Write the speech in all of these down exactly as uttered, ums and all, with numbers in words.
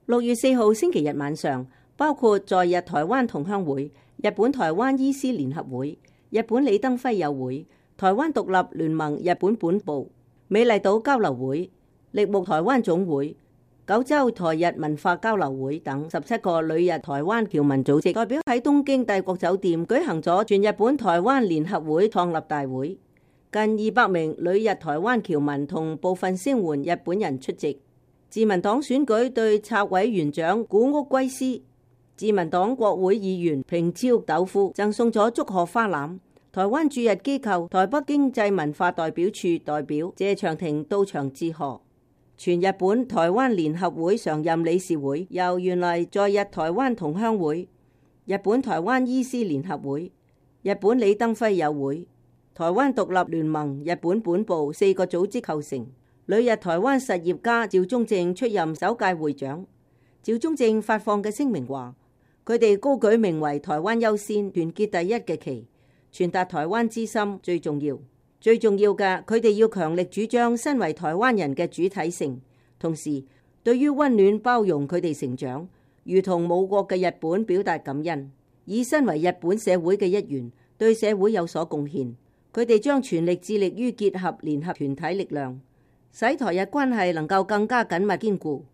六月四號星期日晚上，包括在日台灣同鄉會、日本台灣醫師聯合會、日本李登輝友會、台灣獨立聯盟日本本部、美麗島交流會、力木台灣總會、九州台日文化交流會等十七個旅日台灣僑民組織代表喺東京帝國酒店舉行咗全日本台灣聯合會創立大會，近二百名旅日台灣僑民同部分聲援日本人出席。自民黨選舉對策委員長古屋圭司、自民黨國會議員平超斗夫贈送咗祝賀花籃。台灣駐日機構台北經濟文化代表處代表謝長廷到場致賀。全日本台灣聯合會常任理事會由原來在日台灣同鄉會、日本台灣醫師聯合會、日本李登輝友會、台灣獨立聯盟日本本部四個組織構成。旅日台灣實業家趙中正出任首屆會長。趙中正發放嘅聲明話，佢哋高舉名為台灣優先、團結第一嘅旗，傳達台灣之心最重要。最重要嘅，佢哋要強力主張身為台灣人嘅主體性，同時對於溫暖包容佢哋成長，如同母國嘅日本表達感恩，以身為日本社會嘅一員，對社會有所貢獻。佢哋將全力致力於結合聯合團體力量，使台日關係能夠更加緊密堅固。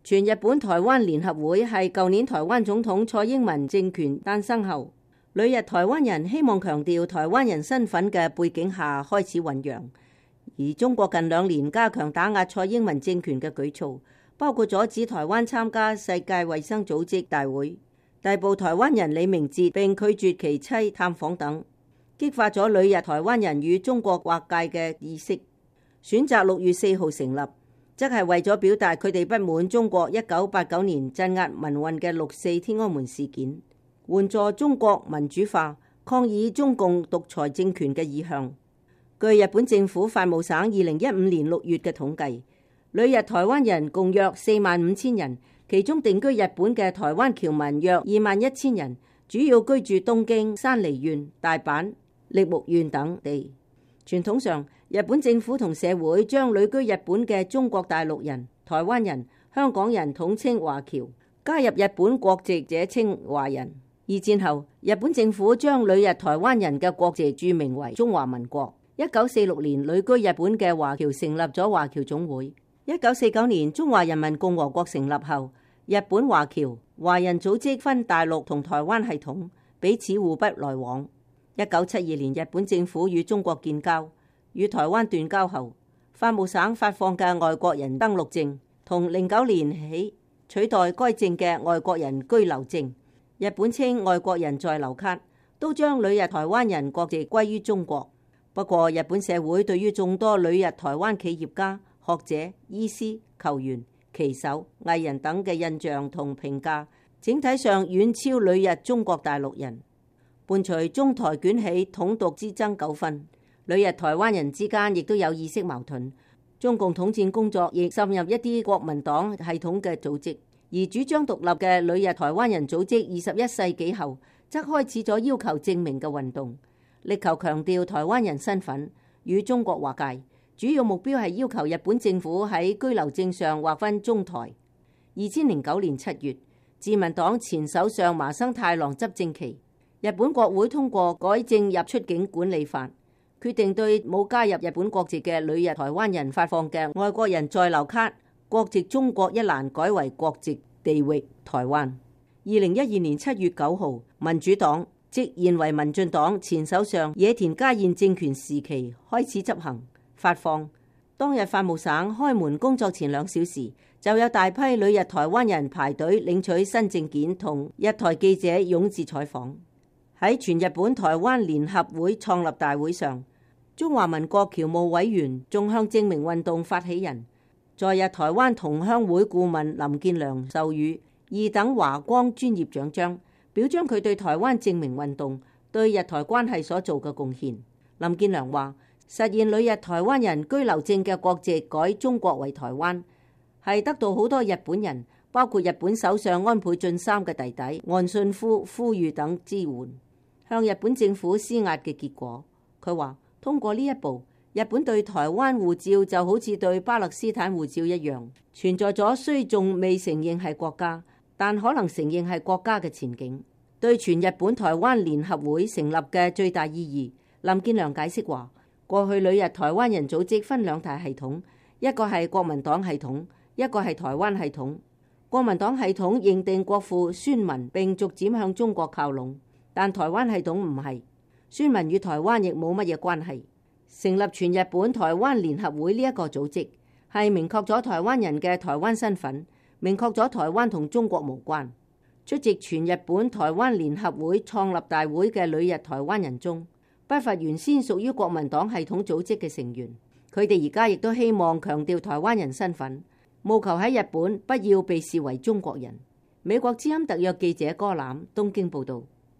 全日本台灣聯合會係舊年台灣總統蔡英文政權誕生後，旅日台灣人希望強調台灣人身份嘅背景下開始醖釀。而中國近兩年加強打壓蔡英文政權嘅舉措，包括阻止台灣參加世界衛生組織大會、逮捕台灣人李明哲並拒絕其妻探訪等，激發咗旅日台灣人與中國劃界嘅意識。選擇六月四號成立，則係為咗表達佢哋不滿中國一九八九年鎮壓民運嘅六四天安門事件，援助中國民主化，抗議中共獨裁政權嘅意向。據日本政府法務省二零一五年六月嘅統計，旅日台灣人共約四萬五千人，其中定居日本嘅台灣僑民約二萬一千人，主要居住東京、山梨縣、大阪、櫪木縣等地。傳統上，日本政府同社會將旅居日本嘅中國大陸人、台灣人、香港人統稱華僑，加入日本國籍者稱華人。二戰後，日本政府將旅日台灣人嘅國籍注明為中華民國。一九四六年，旅居日本嘅華僑成立咗華僑總會。一九四九年，中華人民共和國成立後，日本華僑華人組織分大陸同台灣系統，彼此互不來往。一九七二年，日本政府與中國建交，與台灣斷交後，法務省發放嘅外國人登陸證，同零九年起取代該證嘅外國人居留證，日本稱外國人在留卡，都將旅日台灣人國籍歸於中國。不過，日本社會對於眾多旅日台灣企業家、學者、醫師、球員、棋手、藝人等嘅印象同評價，整體上遠超旅日中國大陸人。伴隨中台捲起統獨之爭糾紛，旅日台灣人之間亦都有意識矛盾。中共統戰工作亦滲入一啲國民黨系統嘅組織，而主張獨立嘅旅日台灣人組織二十一世紀後，則開始咗要求證明嘅運動，力求強調台灣人身份，與中國劃界。主要目標係要求日本政府喺居留證上劃分中台。二千零九年七月，自民黨前首相麻生太郎執政期，日本國會通過改正入出境管理法，決定對冇加入日本國籍嘅旅日台灣人發放嘅外國人在留卡，國籍中國一欄改為國籍地域台灣。二零一二年七月九號，民主黨即現為民進黨前首相野田佳彥政權時期開始執行發放。當日法務省開門工作前兩小時，就有大批旅日台灣人排隊領取新證件，同日台記者湧至採訪。喺全日本台灣聯合會創立大會上，中華民國僑務委員仲向證明運動發起人在日台灣同鄉會顧問林建良授予二等華光專業獎章，表彰佢對台灣證明運動對日台關係所做嘅貢獻。林建良話：實現旅日台灣人居留證嘅國籍改中國為台灣，係得到好多日本人，包括日本首相安倍晉三嘅弟弟岸信夫呼籲等支援，向日本政府施壓嘅結果。佢話通過呢一步，日本對台灣護照就好似對巴勒斯坦護照一樣，存在咗雖仲未承認係國家，但可能承認係國家嘅前景。對全日本台灣聯合會成立嘅最大意義，林建良解釋話：過去旅日台灣人組織分兩大系統，一個係國民黨系統，一個係台灣系統。國民黨系統認定國父孫文並逐漸向中國靠攏，但台灣系統唔係，孫文與台灣亦冇乜嘢關係。成立全日本台灣聯合會呢一個組織，係明確咗台灣人嘅台灣身份，明確咗台灣同中國無關。出席全日本台灣聯合會創立大會嘅旅日台灣人中，不乏原先屬於國民黨系統組織嘅成員。佢哋而家亦都希望強調台灣人身份，務求喺日本不要被視為中國人。美國之音特約記者柯攬東京報道。